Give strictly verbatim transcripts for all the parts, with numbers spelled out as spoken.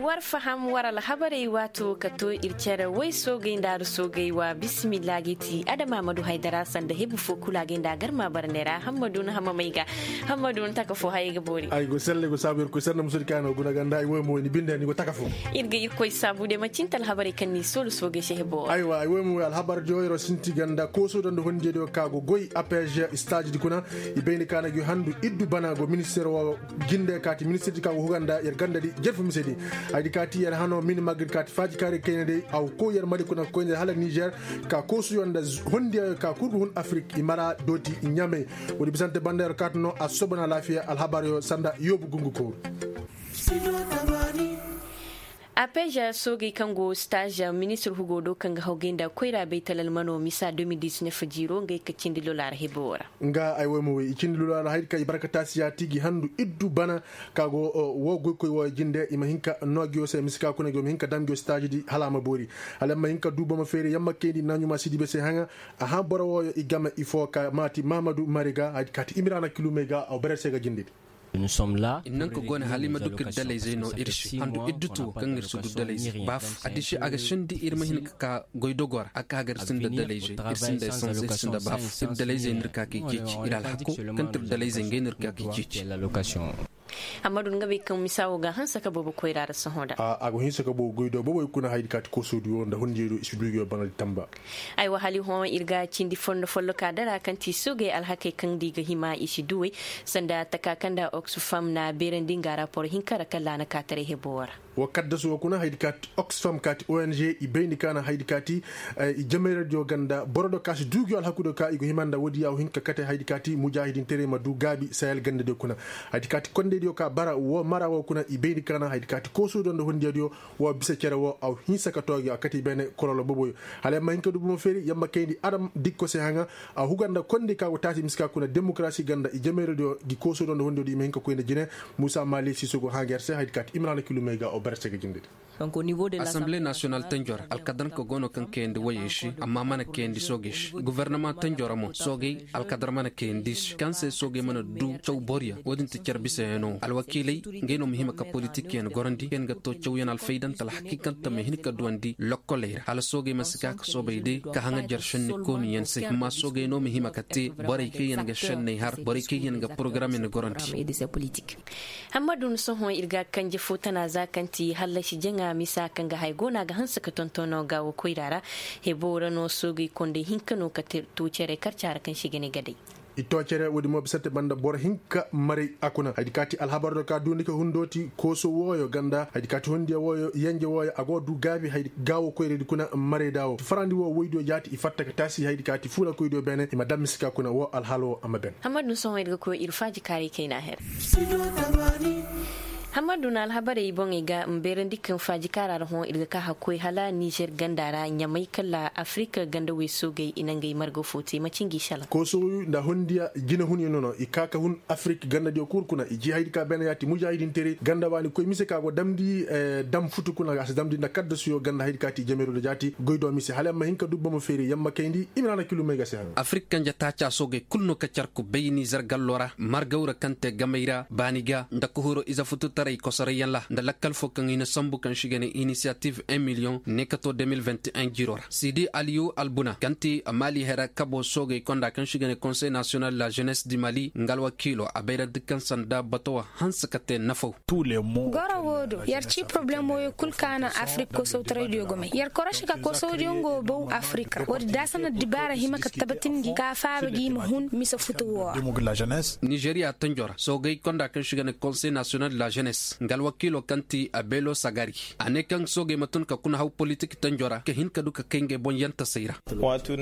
War faham war alhabarey waato ka to ir cere way soogay nda ar soogay wa bisimilla ga i ti adama ma du haydara sanda hebu fo kulu a ga inda a garma barney ra hammadu na hamamay ga. Hammadu na taka fo hayey ga boori. Ay go selle go saabu ir koy sanna musudi kaano guna ganda ay woy mo ni binde ni go taka fo. Ir ga ir koy saabu de ma cinta alhabarey kaŋ ni soolu soogay se hebo. Aywa ay woy mo alhabar diyo iro sinti ganda kooso donda hondiyo diyo ka go goy apege stage di kuna. I bayni kaana gi handu iddu bana go minister wo jinde kaati ministirdi ka go huganda yer gandadi jerfu misedi. Haydi kaati yer hano mini magrid kaati faaji kaari kaynadi aw ko yer mali kuna koynadi hala niger. Ka koosuyo nda hondiyayo ka kurgu hun afrik i mara dooti ɲamey. Woodi bisante banda yer kaati no a soobana laafiya alhabaryo sanda yoobu gungu kooru. Apeja soogey kaŋ go stage ministir hugo do kaŋ ga hawgay nda koyra baytalal mano misa deux mille dix-neuf jiiro ngey ka cindi lolaara hebo ra. Nga ay woy ma woy i cindi lolaara haydi ka i barka taasiya ti gi handu iddu bana ka go wo goykoy wo jinde i ma hin ka no gi wo se misi ka kuna gi wo ma hin ka dam gi wo stage di hala a ma boori. Hala yamma hin ka du boma feeri yamma kayndi naɲuma sidibe se haŋa. Aha boro wooyo i game i fo ka maati mahamadu mari ga haydi ka ti imirana kilumey ga aw berer se ga jinde di. I naŋ ka go ne hala i ma du ka ir dalayzey no ir se handu ir dutu wo kaŋ ir si du dalayzey baaf addiši a ga sandi ir ma hin ka ka goydogo ra a ka ga ir sinda dalayzey ir sinda esanse ir sinda baaf ir dalayzey no ir ka ka i ceeci ir alhako kaŋ ti ir dalayzey ngey no ir ka ka i ceeci. Amma du nga bay kaŋ misa wo ga hanse ka boobo koyra ra sohõ da. A go hinse ka boobo goy do boobo i kuna haydi ka ti koosoodi wo nda hundiyo do i si du i ga yo bana di tamba. Aywa hali hõ ir ga cindi fondo folloka dara kaŋ ti soogey alhakey kaŋ da i ga hima i si duwey. Sanda taka kaŋ nda oxfam na beerandi nga rapor hinka ra kaŋ ra a na kaataray hebo wo ra. Wo kaddasu wo kuna haydi ka ti oxfam ka ti ong i bayndi ka na haydi ka ti i jamayradiyo ganda boro do ka si duugiyo alhakudiyo ka i go hima nda woodiyo a wo hin ka kate haydi ka ti mujaahidinteray ma du gaabi sahel gandadiyo kuna. Haydi ka ti kondeydiyo ka bara wo mara wo kuna i bayndi ka na haydi ka ti koosuudiyo nda hundiyadiyo. Wo bisa cere wo a wo hinsa ka toogi a kate i beene kololo boboyo. Hala yamma hin ka du bomo feeri yamma kayndi adam dikko se haŋa. A huga nda kondi ka go taasi miska kuna demokarasi ganda i jameeradiyo gi koosodo nda hondiyo di i ma hin ka koy nda jine. Muusa maali siiso go haaga yer se haydi ka ti imrana kilumey ga o bare se ga jinde di. Asamble nasiyonal tanjo ra alkadaranka go no kaŋ kayandi woyey se amma mana kayandi soogey se gofornama tanjo ra mo soogey alkadara mana kayandi se kaŋ se soogey mana du caw boro yaŋ wo-din ti care bisayaŋo alwakiiley. Ngey no ma hima ka politikyaŋ gorandi kaŋ yaŋ ga to cawyaŋ alfaydanta alhakiikanta ma hin ka duwandi lokkoley ra hala soogey ma si ka ka soobay day ka haŋajer šenni kooniyaŋ se amma soogey no ma hima ka te borey kaŋ yaŋ ga šenney har borey kaŋ yaŋ ga porogaram yaŋ gorandi. Hammadu ni sohõ ir ga kanje fo tana za kaŋ ti hallasi jaŋa misa kaŋ ga hay go no a ga hanse ka tontono gaawo koyra ra. Hebo ra no soogey kondey hinka no ka to cere karca ra kaŋ se i ga ne gadey. I to cere woodi mo bisante banda boro hinka maray a kuna haydi ka ti alhabar do ka duundi ka hundo ti kooso wooyo ganda haydi ka ti hondiya wooyo yanje wooyo a go du gaabi haydi gaawo koyraydi kuna maray da wo farandi wo woydiyo jaati i fatta ka taasi haydi ka ti fuulakoydiyo beene i ma dam miska kuna wo alhaalo a ma ben. Hammadu ni sohõ ir ga koy ir faajikaaray kayna her. Hammadu na alhabarey boŋey ga ma beerandi kaŋ faajikaara ra hõ ir ga ka hakkoy hala nizer ganda ra ɲamay kala afirika ganda wey soogey i na ngey marga fo te macin gi salaŋ. Koosow nda hundiya jinehunyaŋ no no i ka ka hun afirika gandadiyo kul kuna i ji haydi ka beene yaati mujaahidinteray ganda waani koy mise ka go damndi. Dam futu kuna a si damndi nda kaddasuyo ganda haydi ka ti jameeroo da jaati goy do mise hala yamma hin ka du bomo feeri yamma kayndi i ma na na kilumey ga se haŋ. Afirika kanje taaca soogey kul no ka car ku bay nizer gallo ra margaw ra kaŋ te gamey ra baani ga nda ka huro ize fututaray kosorayyaŋ ra nda lakkal fo kaŋ i na sambu kaŋ se i ga ne inisiyativ un miliyoŋ ne ka to deux mille vingt et un jiiro ra sidi aliyu albuna kaŋ ti maali hera kabo soogey konda kaŋ se i ga ne konsey nasiyonal de la jenes di mali nga alwakiilo a bayrandi kaŋ sanda bato wo hanse ka te nafaw. Goro wo do yer ci poroblem woyo kul ka naŋ afirik koosawtaraydiyo gomey yer korosi ka koosawdiyo nga wo baw afirik ra woodi daasana dibaara hima ka tabatindi ka faaba gi ma hun mise futu wo ra. Nizeriya tanjo ra soogey konda kaŋ se i ga ne konsey nasiyonal de la jenes nga alwakiilo kaŋ ti abelo sagari a ne kaŋ soogey ma tun ka kuna haw politik tanjo ra ka hin ka du ka kay ngey boŋ yantasey ra.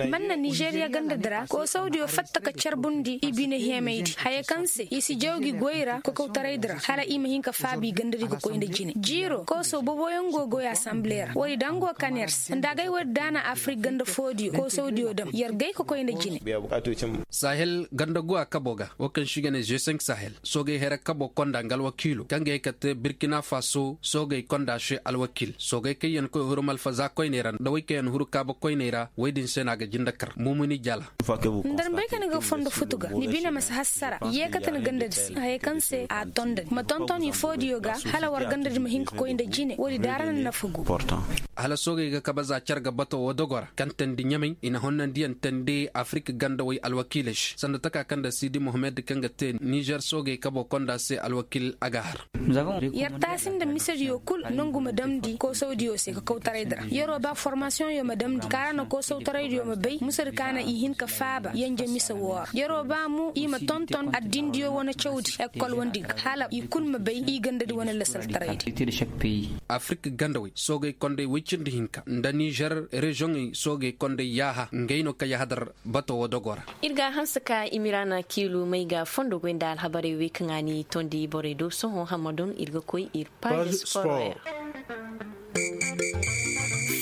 Man na nizeriya gandadi ra koosawdiyo fatta ka carbundi i bine heemaydi haya kaŋ se i si jaw gi goy ra kokawtaraydi ra hala i ma hin ka faabi gandadi ga koy nda jine jiiro koosaw boboyaŋ go goy asamble ra woodi daŋ go kaners nda agay woodi daana afirik ganda foodiyo koosawdiyo dam yer gay ka koy nda jine. Sahel ganda go a kabo ga wo kaŋ se i ga ne g cinq sahel soogey hera kabo konda nga alwakiilo kaŋ ga ye ka Te birkina faso soogey konda se alwakiil soogey kaŋ yaŋ koy huru malfaza koyney ra nda wey kaŋ yaŋ huru kaaba koyney ra wey din se no a ga jinde kar mumuni jala. Nda ni bay ka ni ga fondo futu ga ni bine ma si hassara. Yeekate ni gandadi se hayey kaŋ se a tondadi ma tonton ifoodiyo ga hala war gandadi ma hin ka koy nda jine woodi daara na nafa gu. Hala soogey ga kabe za car ga bato wo dogo ra kaŋ teendi ɲamay i na honnandiyaŋ teendi afirik gandawey alwakiiley se sanda taka kaŋ nda sidi mohammed kaŋ ga te nizer soogey kabo konda se alwakiil a ga har. Yer taasi nda misediyo kul nongu ma damndi koosawdiyo se ka kawtaray di ra yeroo ba formasiyoŋyo ma damndi kaara na koosawtaraydiyo ma bay misedi ka na i hin ka faaba yanje mise woo ra yeroo ba mo i ma tonton addindiyo wane cawdi ekol wandi ga hala i kul ma bay i gandadi wane lasaltaraydi. Afirik gandawey soogey kondey woy cindi hinka nda nizer reziyoŋey soogey kondey yaaha ngey no ka yahadar bato woo dogo ra. Ir ga a hanse ka imirana kiilu may ga fondo goy nda alhabarey wey kaŋ a ni tondi borey do sohõ hammadun ir ga koy ir paazi sporo yaŋ.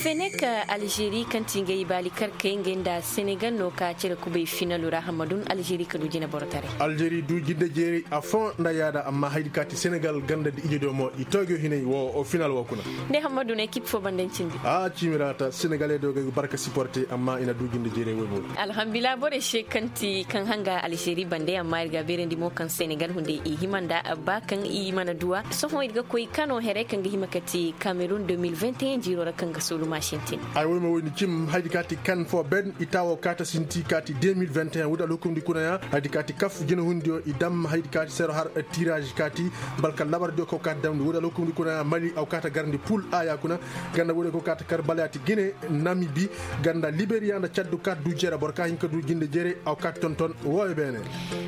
Fenek alžeri kaŋ ti ngey baali karkey ngey nda senegal no ka cere kubay finalu ra hammadun alžeri ka du jine boro taray. Alžeri du jinde jeeray a foo nda yaada amma haydi ka ti senegal ganda nda ije do mo i toojo hinay wo final wo kuna. Nde hammadun ekip fo banda ni cindi. A ciimira ta senegaley do ga ay barka siporte amma i na du jinde jeeray wo mo. Alhamdulillah borey se kaŋ ti kaŋ hanga alžeri bande amma ir ga a beerandi mo kaŋ senegal hunday i hima nda ba kaŋ i mana duwa sohõ ir ga koy kano here kaŋ ga hima ka ti kamerun deux mille vingt et un jiiro ra kaŋ ga soolu ma sintin. Ay woy ma woy ni cim haydi ka ti kan fo ben i taawo kaata sinti ka ti deux mille vingt et un woodi alhukumndi kuna ya haydi ka ti kaf jinahundiyo i dam haydi ka ti sero har tiraaz ka ti balka labardiyo kaw kaata damndi woodi alhukumndi kuna ya mali aw kaata garndi pul aya kuna ganda woodi kaw kaata kar bala ya ti gine namibi ganda liberiya nda caddu kaata du jere boro ka hin ka du jinde jere aw kaata tonton wooyo beene.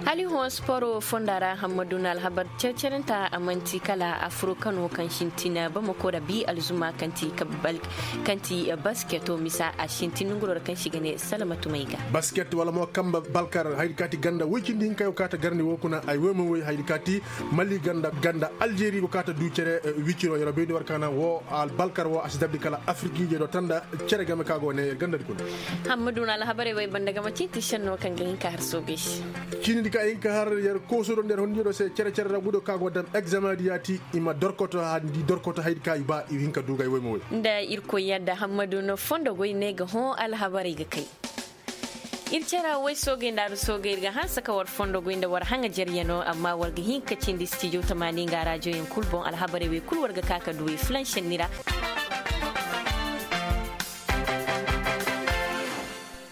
Hali hõ sporo fonda ra hammadu na alhabar cercerenta a man'ti kala afuro kano kaŋ sintina bamako ra bi alzuma kaŋ ti basketo misa a sintin nonguroo ra kaŋ se i ga ne salamatumey ga. Basket wala mo kamba balkar haydi kaati ganda woy cindi hinka yo kaata garni wo kuna ay woy ma woy haydi kaati mali ganda ganda aljeri go kaata du cere. Wiciro yero bayndi war kaana wo albalkar wo a si dabdi kala afiriki je do tanda cere game ka go ne yer gandadi kuna. Hammadu na alhabarey wey banda game ciiti senno kaŋ ga hin ka har soogey se. Ciinidi ka hin ka har yer kooso do nda yer hondiyo do se cere cere ra gudo ka go dam egzame di yaati i ma dorkoto handi dorkoto haydi ka i ba i hin ka duuga ay woy ma woy. Nda irkoy yadda hammadu no fondo goy ne ga hõ alhabarey ga kay. Ir cere woy soogey nda aru soogey ir ga hanse ka war fondo goy nda war haŋa jeryanoo amma war ga hin ka cindi stijo tamaani nga raajoyaŋ kul boŋ alhabarey wey kul war ga ka ka du wey fulaŋ senni ra.